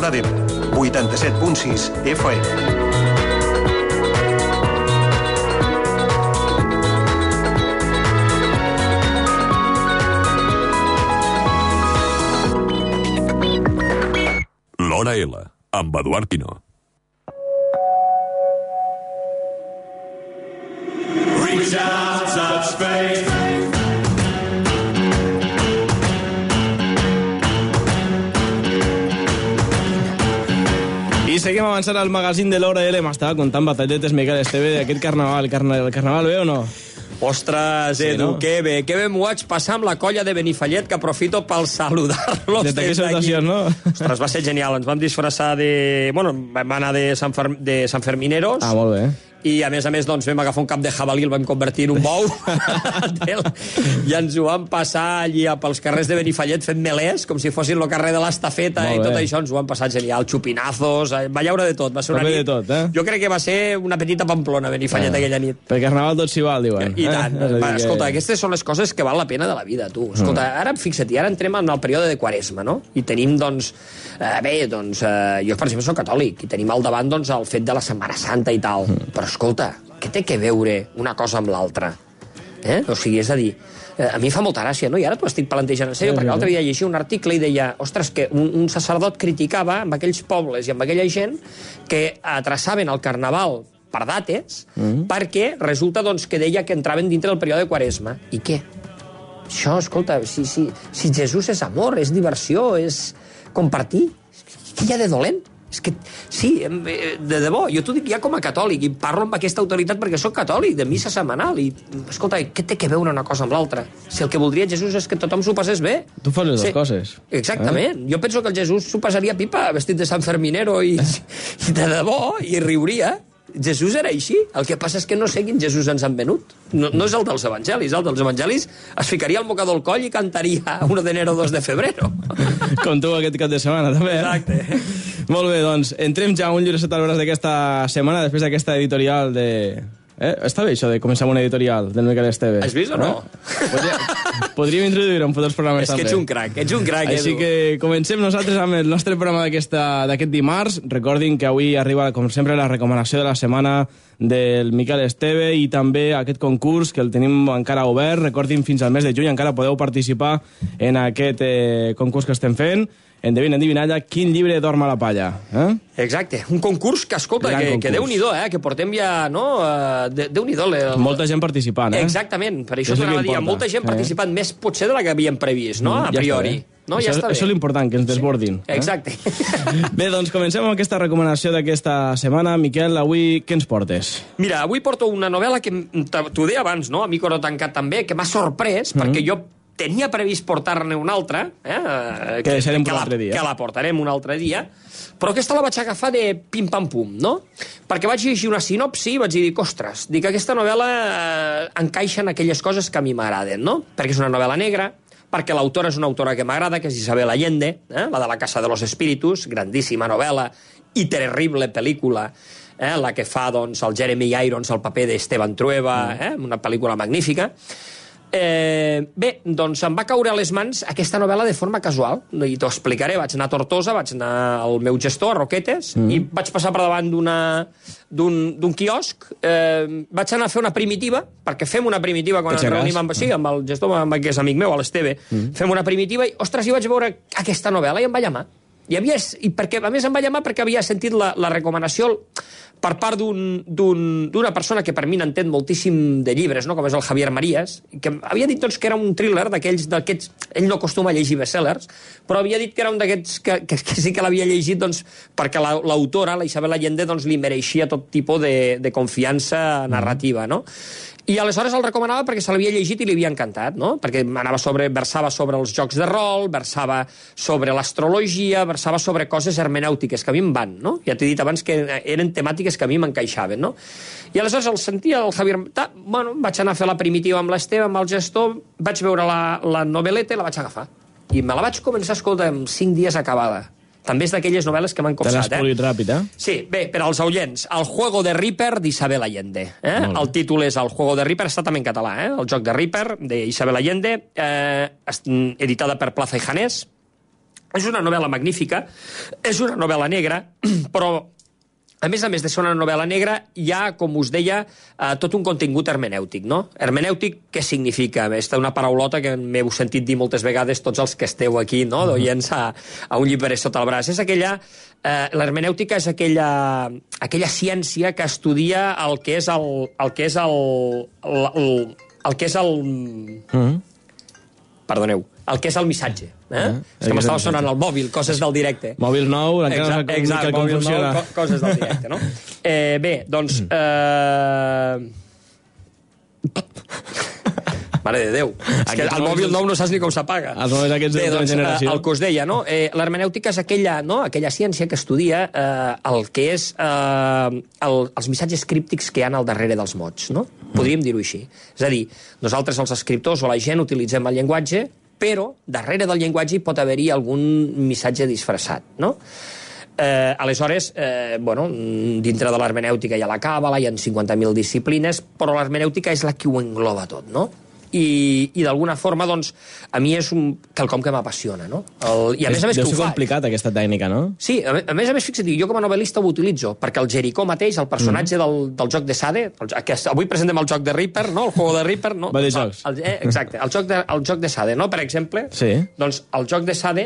Roda d'Ebre, 87.6 FM. L'Hora L, amb Eduard Quino. Reach out, touch faith. I seguim avançant al magazín de l'Hora L. M'estava contant batalletes Miquel Esteve d'aquest carnaval. El carnaval bé o no? Ostres, Edu, sí, no? Que bé m'ho vaig passar amb la colla de Benifallet, que aprofito per saludar-los des d'aquí. Salutacions, no? Ostres, va ser genial. Ens vam disfressar de... Bueno, vam anar de Sant Fermineros. Ah, molt bé. I, a més, doncs, vam agafar un cap de jabalí, el vam convertir en un bou, i ens ho vam passar allí pels carrers de Benifallet fent melés, com si fossin el carrer de l'Estafeta, i tot això ens ho vam passar genial. Xupinazos, va llaure de tot. Va ser una nit... tot, eh? Jo crec que va ser una petita Pamplona, Benifallet, aquella nit. Per carnaval tot s'hi val, diuen. I tant. Escolta, aquestes són les coses que val la pena de la vida, tu. Escolta, ara fixa't, ara entrem en el període de Quaresma, no? I tenim, doncs... jo, per exemple, soc catòlic, i tenim al davant, doncs, el fet de la Setmana Santa i tal. Però, escolta, què té que veure una cosa amb l'altra? O sigui, és a dir, a mi fa molta gràcia, no? I ara t'ho estic plantejant en sèrio, perquè l'altre dia llegia un article i deia, ostres, que un sacerdot criticava amb aquells pobles i amb aquella gent que traçaven el carnaval per dates, perquè resulta, doncs, que deia que entraven dintre del període de Quaresma. I què? Això, escolta, si Jesús és amor, és diversió, és compartir, què hi ha de dolent? És que, sí, de debò, jo t'ho dic ja com a catòlic, i parlo amb aquesta autoritat perquè sóc catòlic, de missa setmanal, i, escolta, què té que veure una cosa amb l'altra? Si el que voldria Jesús és que tothom s'ho passés bé. Tu fas les dues coses. Exactament. Jo penso que el Jesús s'ho passaria pipa, vestit de Sant Ferminero, i de debò, i riuria. Jesús era així. El que passa és que no sé quin Jesús ens han venut. No és el dels evangelis. El dels evangelis es ficaria el mocador al coll i cantaria 1 d'enero, 2 de febrero. Com tu aquest cap de setmana, també. Exacte. Molt bé, doncs, entrem ja a un llibre sota el braç d'aquesta setmana, després d'aquesta editorial de... Està bé això de començar amb una editorial del Miquel Esteve. Has vist o no? Podríem introduir-ho en futurs programes també. És que ets un crac, Així que comencem nosaltres amb el nostre programa d'aquest dimarts. Recordin que avui arriba, com sempre, la recomanació de la setmana del Miquel Esteve i també aquest concurs que el tenim encara obert. Recordin, fins al mes de juny encara podeu participar en aquest concurs que estem fent. Endevinalla quin llibre dorm a la palla. Exacte, un concurs que, escolta, que Déu-n'hi-do, que portem ja, no? Déu-n'hi-do. Molta gent participant, Exactament, per això t'anava a dir, molta gent participant, més potser de la que havíem previst, no? A priori. No, ja està bé. Això és l'important, que ens desbordin. Exacte. Bé, doncs comencem amb aquesta recomanació d'aquesta setmana. Miquel, avui què ens portes? Mira, avui porto una novel·la que t'ho deia abans, no? A mi Coro Tancat també, que m'ha sorprès, perquè jo tenia previst portar-ne una altra, que deixarem per un altre dia. Que la portarem un altre dia, però aquesta la vaig agafar de pim-pam-pum, no? Perquè vaig llegir una sinopsi i vaig dir, ostres, aquesta novel·la encaixa en aquelles coses que a mi m'agraden, no? Perquè és una novel·la negra, perquè l'autora és una autora que m'agrada, que és Isabel Allende, la de La Casa de los Espíritus, grandíssima novel·la i terrible pel·lícula, la que fa, doncs, el Jeremy Irons, el paper d'Esteban Trueba, una pel·lícula magnífica. Bé, doncs em va caure a les mans aquesta novel·la de forma casual, i t'ho explicaré. Vaig anar a Tortosa, vaig anar al meu gestor, a Roquetes, i vaig passar per davant d'un quiosc. Vaig anar a fer una primitiva, perquè fem una primitiva quan ens reunim amb el gestor, que és amic meu, l'Esteve. Fem una primitiva i, ostres, hi vaig veure aquesta novel·la i em va llamar. I perquè, a més, em va llamar perquè havia sentit la recomanació per part d'una persona que per mi n'entén moltíssim de llibres, no? Com és el Javier Marías, que havia dit, doncs, que era un thriller d'aquests... Ell no acostuma a llegir bestsellers, però havia dit que era un d'aquests que sí que l'havia llegit, doncs, perquè l'autora, la Isabel Allende, doncs, li mereixia tot tipus de confiança narrativa, no? I aleshores el recomanava perquè se l'havia llegit i li havia encantat, no? Perquè versava sobre els jocs de rol, versava sobre l'astrologia, versava sobre coses hermenèutiques que a mi em van, no? Ja t'he dit abans que eren temàtiques que a mi m'encaixaven, no? I aleshores el sentia el Javier... Bueno, vaig anar a fer la primitiva amb l'Esteve, amb el gestor, vaig veure la novel·leta i la vaig agafar. I me la vaig començar, escolta, en 5 dies acabada. També és d'aquelles novel·les que m'han copsat, Te l'has polit ràpid, Sí, bé, per als oients, El juego de Ripper d'Isabel Allende. El títol és El juego de Ripper, està també en català, El joc de Ripper, d'Isabel Allende, editada per Plaza y Janés. És una novel·la magnífica, és una novel·la negra, però a més de ser una novel·la negra, hi ha, com us deia, tot un contingut hermenèutic, no? Hermenèutic, què significa? Aquesta una paraulota que m'heu sentit dir moltes vegades tots els que esteu aquí, no?, d'oients a un llibre sota el braç. És aquella... L'hermenèutica és aquella ciència que estudia el que és Perdoneu, el que és el missatge. És que m'estava sonant el mòbil, coses del directe. Mòbil nou, encara no sé com funciona. Coses del directe, no? Bé, doncs... Mare de Déu. És que el mòbil nou no saps ni com s'apaga. Els mòbils aquests de generació. El que us deia, no? L'hermenèutica és aquella ciència que estudia el que és els missatges críptics que hi ha al darrere dels mots, no? Podríem dir-ho així. És a dir, nosaltres els escriptors o la gent utilitzem el llenguatge, però darrere del llenguatge hi pot haver-hi algun missatge disfressat, no? Aleshores, dintre de l'hermenèutica hi ha la càbala, hi ha 50.000 disciplines, però l'hermenèutica és la que ho engloba tot, no? I d'alguna forma, doncs, a mi és quelcom que m'apassiona, no? I a més que ho faig. Deu ser complicat, aquesta tècnica, no? Sí, a més, fixa't, jo com a novel·lista ho utilitzo, perquè el Jericó mateix, el personatge del joc de Sade, avui presentem el joc de Reaper, no? El juego de Reaper, no? Va de jocs. Exacte, el joc de Sade, no? Per exemple, doncs el joc de Sade,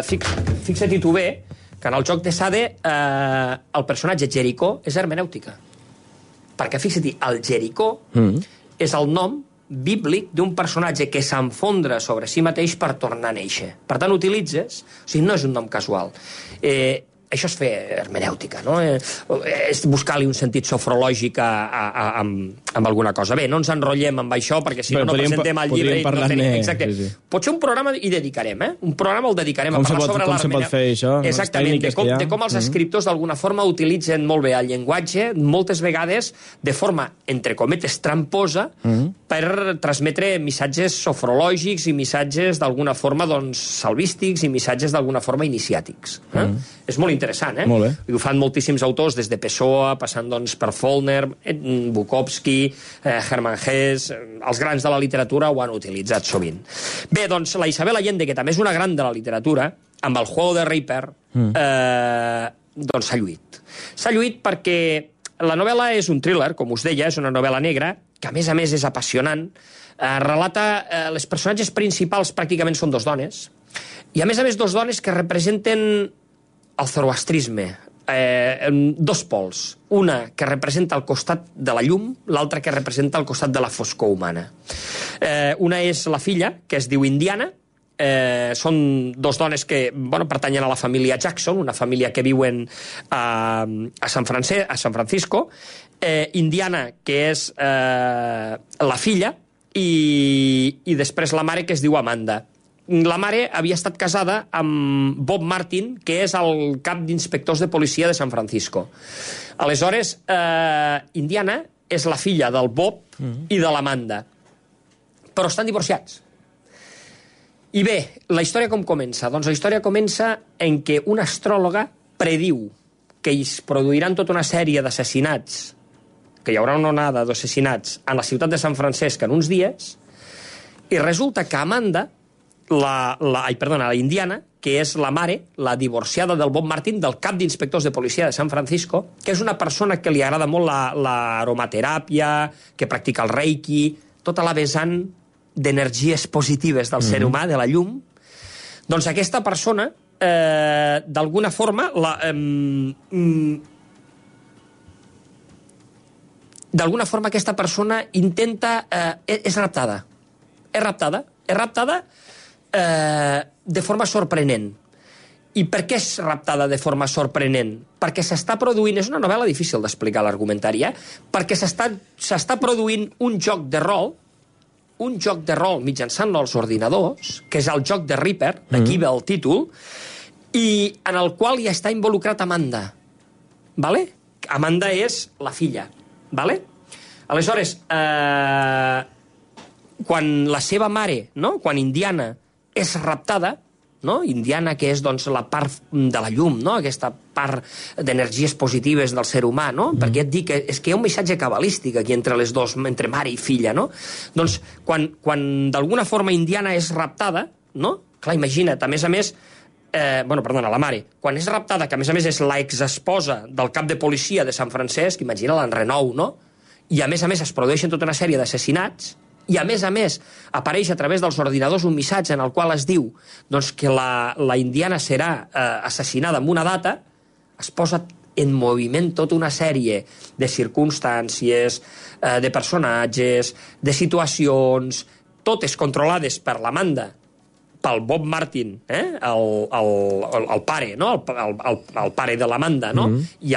fixa-t'hi tu bé, que en el joc de Sade el personatge Jericó és hermenèutica. Perquè, fixa-t'hi, el Jericó és el nom bíblic d'un personatge que s'enfondra sobre si mateix per tornar a néixer. Per tant, utilitzes... O sigui, no és un nom casual. Això és fer hermenèutica, no? És buscar-li un sentit sofrològic amb alguna cosa. Bé, no ens enrotllem amb això, perquè si no presentem el llibre... Exacte. Potser un programa hi dedicarem, Un programa el dedicarem a parlar sobre l'hermenèutica. Com se pot fer això? Exactament, de com els escriptors d'alguna forma utilitzen molt bé el llenguatge, moltes vegades de forma, entre cometes, tramposa, per transmetre missatges sofrològics i missatges d'alguna forma, doncs, salvístics i missatges d'alguna forma iniciàtics. És molt interessant, Molt bé. I ho fan moltíssims autors, des de Pessoa, passant doncs, per Faulkner, Bukowski, Hermann Hesse... Els grans de la literatura ho han utilitzat sovint. Bé, doncs, la Isabel Allende, que també és una gran de la literatura, amb el Juego de Reaper, doncs s'ha lluït. S'ha lluït perquè la novel·la és un thriller, com us deia, és una novel·la negra, que a més és apassionant. Relata... Les personatges principals pràcticament són dos dones, i a més dos dones que representen el zoroastrisme, dos pols. Una que representa el costat de la llum, l'altra que representa el costat de la foscor humana. Una és la filla, que es diu Indiana, són dos dones que pertanyen a la família Jackson, una família que viuen a San Francisco. Indiana, que és la filla, i després la mare, que es diu Amanda. La mare havia estat casada amb Bob Martin, que és el cap d'inspectors de policia de San Francisco. Aleshores, Indiana és la filla del Bob i de l'Amanda. Però estan divorciats. I bé, la història com comença? Doncs la història comença en què una astròloga prediu que es produiran tota una sèrie d'assassinats, que hi haurà una onada d'assassinats a la ciutat de San Francesc en uns dies, i resulta que Amanda, la Indiana, que és la mare, la divorciada del Bob Martin, del cap d'inspectors de policia de San Francisco, que és una persona que li agrada molt l'aromateràpia, que practica el reiki, tota la vessant d'energies positives del ser humà, de la llum. Doncs aquesta persona, d'alguna forma, aquesta persona intenta... És raptada. És raptada de forma sorprenent. I per què és raptada de forma sorprenent? Perquè s'està produint... És una novel·la difícil d'explicar l'argumentari, perquè s'està produint un joc de rol mitjançant els ordinadors, que és el joc de Reaper, d'aquí ve el títol, i en el qual hi està involucrat Amanda. Vale? Amanda és la filla. Vale? Aleshores, quan la seva mare, no? Quan Indiana és raptada, no? Indiana, que és doncs, la part de la llum, no? Aquesta part d'energies positives del ser humà, no? Perquè et dic que és que hi ha un missatge cabalístic aquí entre les dos, entre mare i filla, no? Doncs quan d'alguna forma Indiana és raptada, no? Clar, imagina't, a més, perdona, la mare, quan és raptada, que a més és l'exesposa del cap de policia de Sant Francesc, imagina l'Enrenou, no? I a més es produeixen tota una sèrie d'assassinats, i a més apareix a través dels ordinadors un missatge en el qual es diu doncs, que la indiana serà assassinada en una data, es posa en moviment tota una sèrie de circumstàncies, de personatges, de situacions, totes controlades per l'Amanda, pel Bob Martin, el pare, no? el pare de l'Amanda, no? I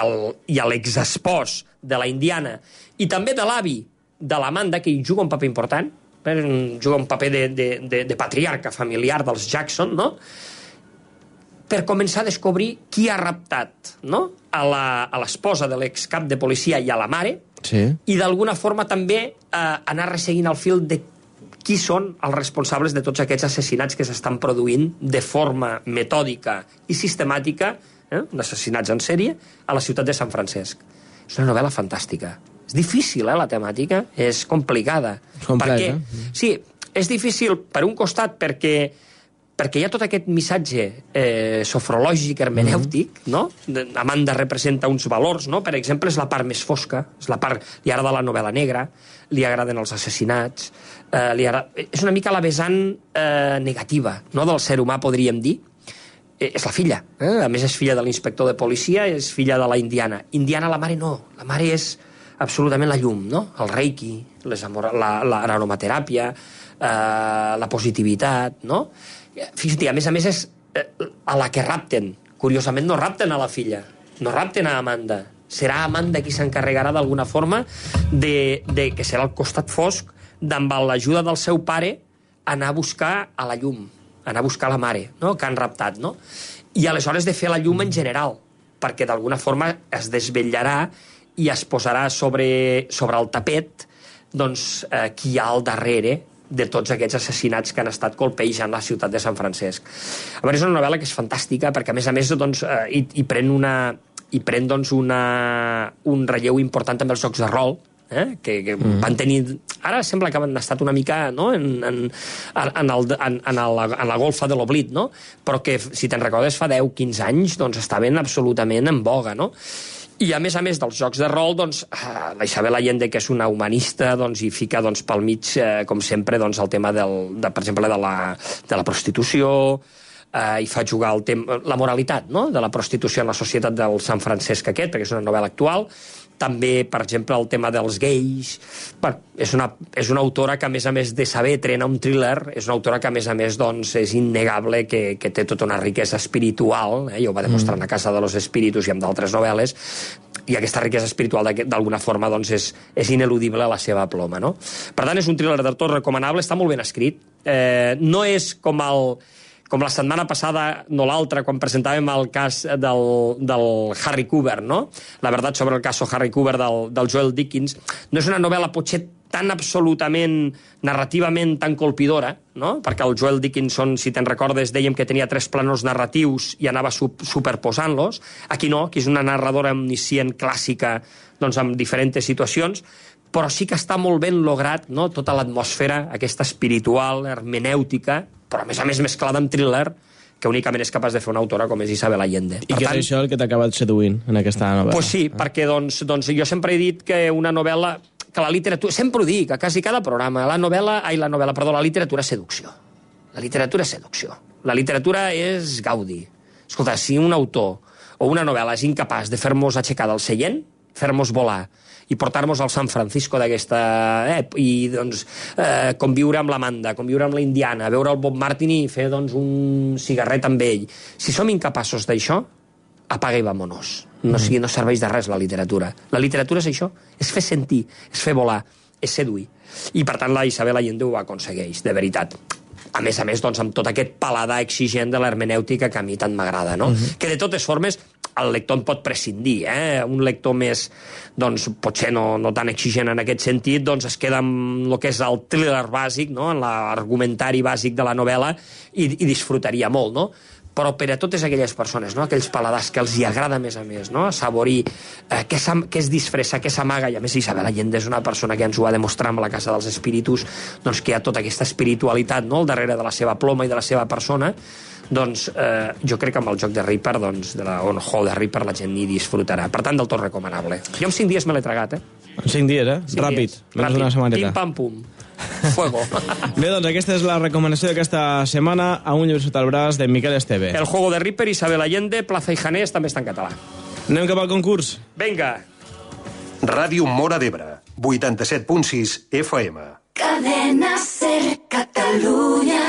l'exespòs de la indiana, i també de l'avi de l'Amanda, que hi juga un paper important, juga un paper de patriarca familiar dels Jackson, no? Per començar a descobrir qui ha raptat, no? a l'esposa de l'excap de policia i a la mare, i d'alguna forma també anar resseguint el fil de qui són els responsables de tots aquests assassinats que s'estan produint de forma metòdica i sistemàtica, d'assassinats en sèrie, a la ciutat de Sant Francesc. És una novel·la fantàstica. És difícil, la temàtica, és complicada. Complexa. Sí, és difícil, per un costat, perquè hi ha tot aquest missatge sofrològic, hermenèutic, no? Amanda representa uns valors, no? Per exemple, és la part més fosca, és la part... Li agrada la novel·la negra, li agraden els assassinats, és una mica la vessant negativa, no?, del ser humà, podríem dir. És la filla, a més és filla de l'inspector de policia, és filla de la indiana. Indiana, la mare no, la mare és absolutament la llum, no? El reiki, l'aromateràpia, la positivitat, no? Fixa't, a més és a la que rapten. Curiosament no rapten a la filla, no rapten a Amanda. Serà Amanda qui s'encarregarà d'alguna forma que serà el costat fosc d'amb l'ajuda del seu pare anar a buscar a la llum, anar a buscar la mare, no?, que han raptat, no? I aleshores de fer la llum en general, perquè d'alguna forma es desvetllarà i es posarà sobre el tapet doncs, qui hi ha al darrere de tots aquests assassinats que han estat colpejant la ciutat de Sant Francesc. A veure, és una novel·la que és fantàstica perquè, a més doncs, hi pren un relleu important també els jocs de rol, que van tenir... Ara sembla que han estat una mica, no?, en la golfa de l'oblit, no? Però que, si te'n recordes, fa 10-15 anys doncs, estaven absolutament en boga, no? I, a més dels jocs de rol, doncs, la Isabel Allende, que és una humanista, doncs, hi fica doncs, pel mig, com sempre, doncs, el tema, per exemple, de la prostitució, i fa jugar el tema, la moralitat, no?, de la prostitució en la societat del Sant Francesc aquest, perquè és una novel·la actual. També, per exemple, el tema dels gais. Bueno, és una autora que, a més de saber trenar un thriller, és una autora que, a més, doncs, és innegable que té tota una riquesa espiritual, ja ho va demostrar en La Casa de los Espíritus i amb d'altres novel·les, i aquesta riquesa espiritual, d'alguna forma, doncs, és ineludible a la seva ploma, no? Per tant, és un thriller del tot recomanable, està molt ben escrit. No és com la setmana passada, no l'altra, quan presentàvem el cas del Harry Cooper, no? La veritat sobre el cas Harry Cooper del Joel Dickens. No és una novel·la potser tan absolutament, narrativament tan colpidora, no? Perquè el Joel Dickinson, si te'n recordes, dèiem que tenia 3 plànols narratius i anava superposant-los. Aquí no, que és una narradora omniscient clàssica, doncs, amb diferents situacions, però sí que està molt ben lograt, no?, tota l'atmosfera, aquesta espiritual, hermenèutica, però a més mesclada amb thriller, que únicament és capaç de fer una autora com és Isabel Allende. I que és això el que t'ha acabat seduint en aquesta novel·la. Pues sí, perquè doncs, jo sempre he dit que una novel·la, que la literatura, sempre ho dic, a quasi cada programa, la literatura és seducció. La literatura és seducció. La literatura és gaudi. Escolta, si un autor o una novel·la és incapaç de fer-nos aixecar del seient, fer-nos volar, i portar-nos al San Francisco d'aquesta... i, doncs, conviure amb l'Amanda, conviure amb la Indiana, veure el Bob Martin i fer, doncs, un cigarret amb ell. Si som incapaços d'això, apaga i vámonos. No serveix de res la literatura. La literatura és això, és fer sentir, és fer volar, és seduir. I, per tant, la Isabel Allende ho aconsegueix, de veritat. A més, doncs, amb tot aquest paladar exigent de l'hermenèutica que a mi tant m'agrada, no? Que, de totes formes, el lector en pot prescindir, Un lector més, doncs, potser no tan exigent en aquest sentit, doncs es queda amb el que és el thriller bàsic, no?, en l'argumentari bàsic de la novel·la i disfrutaria molt, no? Però per a totes aquelles persones, no?, aquells paladars que els hi agrada a més, no?, assaborir què es disfressa, què s'amaga, i a més Isabel Allende és una persona que ens ho va demostrar amb La Casa dels Espíritus, doncs que hi ha tota aquesta espiritualitat, no?, al darrere de la seva ploma i de la seva persona, doncs jo crec que amb el joc de Reaper, doncs, o el juego de Reaper, la gent hi disfrutarà. Per tant, del tot recomanable. Jo en 5 dies me l'he tragat, En 5 dies, Ràpid. Menys una setmaneta. Pim, pam, pum. Fuego. Bé, doncs aquesta és la recomanació d'aquesta setmana, A un llibre sota el braç, de Miquel Esteve. El juego de Reaper, Isabel Allende, Plaza i Janés, també està en català. Anem cap al concurs. Vinga. Ràdio Móra d'Ebre, 87.6 FM. Cadena Ser Catalunya.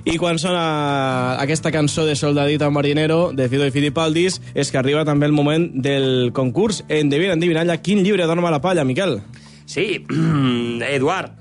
I quan sona aquesta cançó de Soldadito Marinero, de Fido i Fidipaldis, és que arriba també el moment del concurs. Endevina, endivinalla, quin llibre dorm a la palla, Miquel? Sí, Eduard,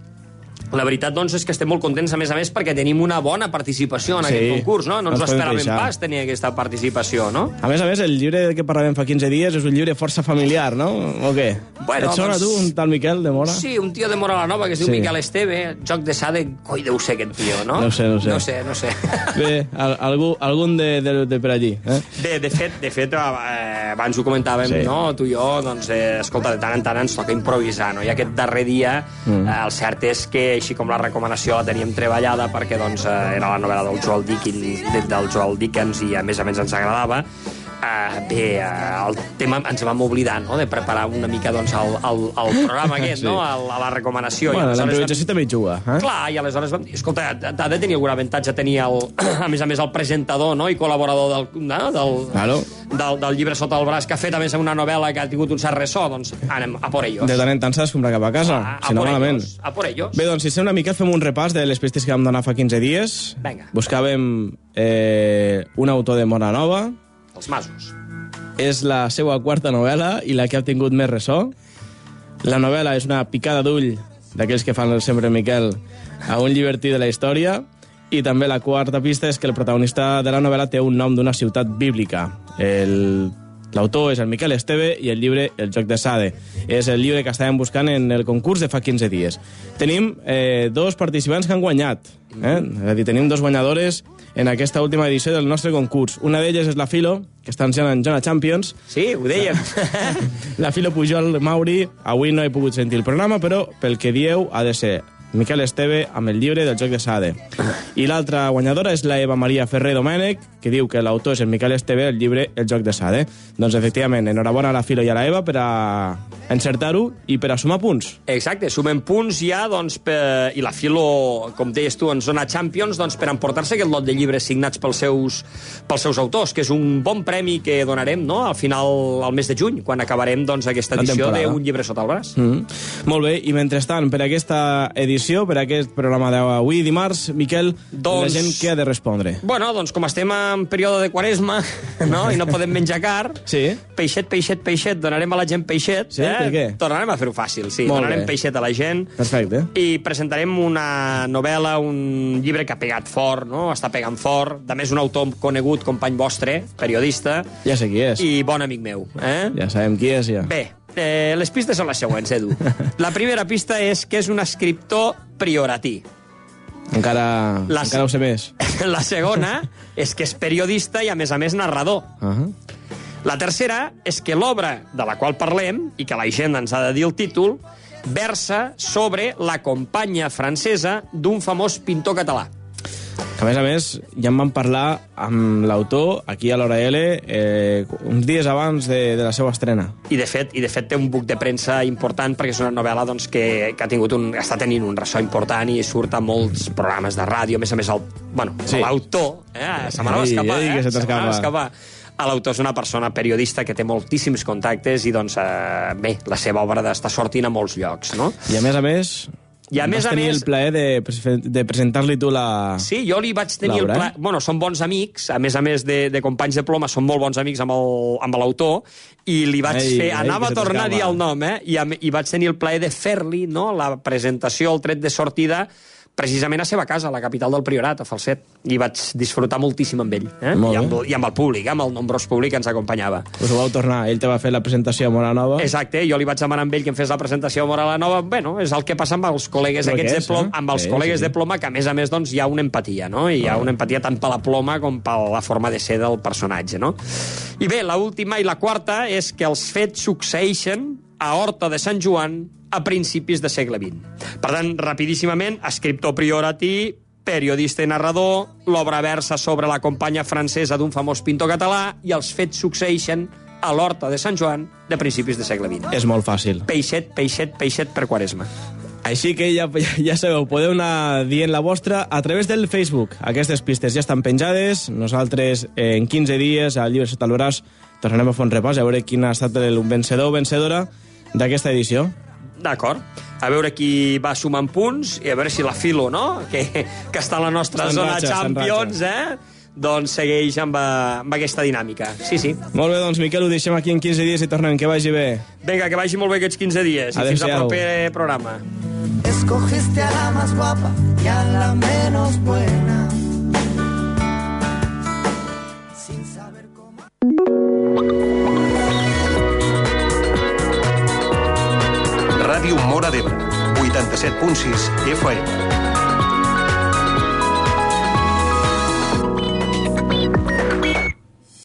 la veritat, doncs, és que estem molt contents, a més, perquè tenim una bona participació en aquest concurs, no? No ens ho esperàvem pas, tenir aquesta participació, no? A més, el llibre que parlàvem fa 15 dies és un llibre força familiar, no? O què? Bueno, et sona tu, un tal Miquel de Mora? Sí, un tio de Mora la Nova que es diu Miquel Esteve, joc de Sade, coi deu ser aquest tio, no? No sé. No sé. Bé, algun de per allí, eh? Bé, de fet, abans ho comentàvem, no? Tu i jo, doncs, escolta, de tant en tant ens toca improvisar, no? I aquest darrer dia, el cert és que, així com la recomanació la teníem treballada, perquè, doncs, era la novel·la del Joel Dickens i, a més ens agradava, el tema ens vam oblidar, no?, de preparar una mica, doncs, el programa aquest, no?, a la recomanació. Bueno, l'improvisació també hi juga, eh? Clar, i aleshores vam dir, escolta, ha de tenir algun avantatge tenir, a més, el presentador, no?, i col·laborador del llibre sota el braç, que ha fet, a més, una novel·la que ha tingut un cert ressò, doncs anem a por ellos. De tant en tant s'ha d'escombrar cap a casa, si no malament. A por ellos. Bé, doncs, si sembla, Miquel, fem un repàs de les pistes que vam donar fa 15 dies. Vinga. Buscàvem un autor de Mora Nova. Els masos. És la seva quarta novel·la i la que ha tingut més ressò. La novel·la és una picada d'ull d'aquells que fan sempre Miquel a un llibertí de la història. I també la quarta pista és que el protagonista de la novel·la té un nom d'una ciutat bíblica. L'autor és el Miquel Esteve i el llibre El joc de Sade. És el llibre que estàvem buscant en el concurs de fa 15 dies. Tenim dos participants que han guanyat. És a dir, tenim dos guanyadores en aquesta última edició del nostre concurs. Una d'elles és la Filo, que està ensenyant en Zona Champions. Sí, ho dèiem. La Filo Pujol Mauri. Avui no he pogut sentir el programa, però pel que dieu ha de ser Miquel Esteve amb el llibre del joc de Sade. I l'altra guanyadora és la Eva Maria Ferrer Domènech, que diu que l'autor és el Miquel Esteve, el llibre El joc de Sade. Doncs, efectivament, enhorabona a la Filo i a la Eva per a encertar-ho i per a sumar punts. Exacte, sumem punts ja, doncs, i la Filo, com deies tu, en Zona Champions, doncs, per emportar-se aquest lot de llibres signats pels seus autors, que és un bon premi que donarem, no?, al final, al mes de juny, quan acabarem, doncs, aquesta edició d'Un llibre sota el braç. Molt bé, i mentrestant, per aquesta edició, per aquest programa d'avui, dimarts, Miquel, la gent què ha de respondre? Bueno, doncs, com estem en període de quaresma, no?, i no podem menjar car, peixet, donarem a la gent peixet, sí? Per què? Tornarem a fer-ho fàcil, sí. Donarem peixet a la gent. Perfecte. I presentarem una novel·la, un llibre que ha pegat fort, no? Està pegant fort. A més, un autor conegut, company vostre, periodista. Ja sé qui és. I bon amic meu. Ja sabem qui és, ja. Bé, les pistes són les següents, Edu. La primera pista és que és un escriptor prioratí. Encara ho sé més. La segona és que és periodista i, a més, narrador. La tercera és que l'obra de la qual parlem, i que la gent ens ha de dir el títol, versa sobre la companya francesa d'un famós pintor català. Que, a més, ja en vam parlar amb l'autor aquí a l'Hora L uns dies abans de la seva estrena. I de fet té un buc de premsa important perquè és una novel·la, doncs, que està tenint un ressò important i surt a molts programes de ràdio. A més, l'autor... Se m'anava a escapar. L'autor és una persona periodista que té moltíssims contactes i, doncs, bé, la seva obra està sortint a molts llocs, no? I, a més, vas tenir el plaer de presentar-li tu la... Sí, jo li vaig tenir el plaer... Bueno, són bons amics, a més de companys de ploma, són molt bons amics amb l'autor, i li vaig fer... Anava a tornar a dir el nom, i vaig tenir el plaer de fer-li, no?, la presentació, el tret de sortida, precisament a seva casa, a la capital del Priorat, a Falset, i vaig disfrutar moltíssim amb ell, I amb el públic, amb el nombrós públic que ens acompanyava. Us ho vau tornar, ell te va fer la presentació a Mora Nova. Exacte, jo li vaig demanar amb ell que em fes la presentació a Mora la Nova. Bueno, és el que passa amb els col·legues aquests de ploma, amb els col·legues de ploma, que a més doncs hi ha una empatia, no? Hi ha una empatia tant per la ploma com per la forma de ser del personatge, no? I bé, l'última i la quarta és que els fets succeeixen a Horta de Sant Joan a principis de segle XX. Per tant, rapidíssimament, escriptor prioratí, periodista i narrador, l'obra versa sobre la companya francesa d'un famós pintor català i els fets succeeixen a l'Horta de Sant Joan de principis de segle XX. És molt fàcil. Peixet, peixet, peixet per Quaresma. Així que ja sabeu, podeu anar dient la vostra a través del Facebook. Aquestes pistes ja estan penjades. Nosaltres, en 15 dies, al Llibre sota el braç, tornarem a fer un repàs a veure quin ha estat el vencedor o vencedora d'aquesta edició. D'acord. A veure qui va sumant punts i a veure si la Filo, no?, que està a la nostra zona Champions, doncs segueix amb aquesta dinàmica. Sí, sí. Molt bé, doncs, Miquel, ho deixem aquí en 15 dies i tornem. Que vagi bé. Vinga, que vagi molt bé aquests 15 dies. I fins al proper programa. Escogiste a la más guapa y a la menos buena. Sin saber cómo... Ràdio Móra d'Ebre, 87.6 FM.